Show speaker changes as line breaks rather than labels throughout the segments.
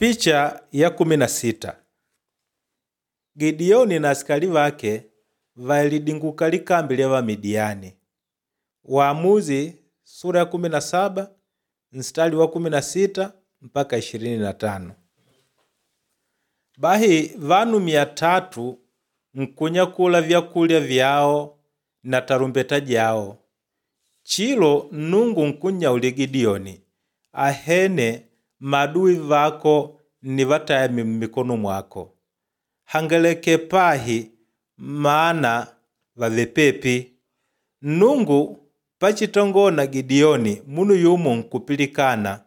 Picha ya 16. Gideoni na asikali vake validinguka likambi lya Vamidiyani. Waamuzi sura ya 17 mstari wa 16 mpaka 25. Bahi vanu 300 nkunyakula vyakulya vyao na tarumbeta jao. Chilo Nnungu nkunnyauli Gideoni, ahene maadui vako nnivataya mmikono mwako. Hangaleke pahi maana vave pepi. Nnungu pachitongona Gideoni munu yumo nkupilikana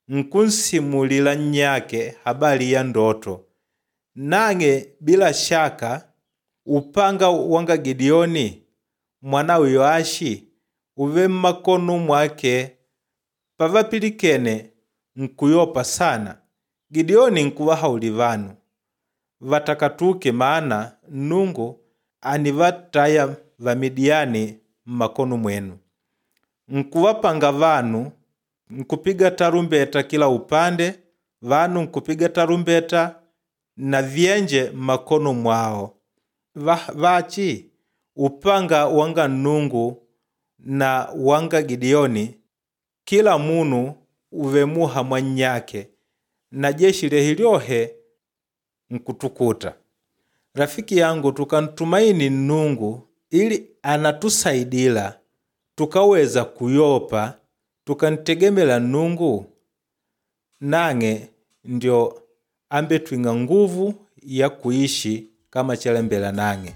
nkunsimulila nnyake habali ya ndoto. Nang'e bila shaka upanga wanga Gideoni mwanawe Yoashi uve mmakono mwake. Pavapilikene nkuyopa sana. Gideoni nkuvahauli vanu vatakatuke maana Nnungu anivataya Vamidiyani mmakono mwenu. Nkuvapanga vanu nkupiga tarumbeta kila upande, vanu nkupiga tarumbeta na vyenje mmakono mwao. Vachi upanga wanga Nnungu na wanga Gideoni kila munu uve muha mwa nnyake na jeshi lyehi lyohe nkutukuta. Rafiki yangu, tukantumaini Nnungu ili anatusaidila tukaweza kuyopa, tukantegemela Nnungu nang'e ndio ambetwing'a nguvu ya kuishi kama chalembela nang'e.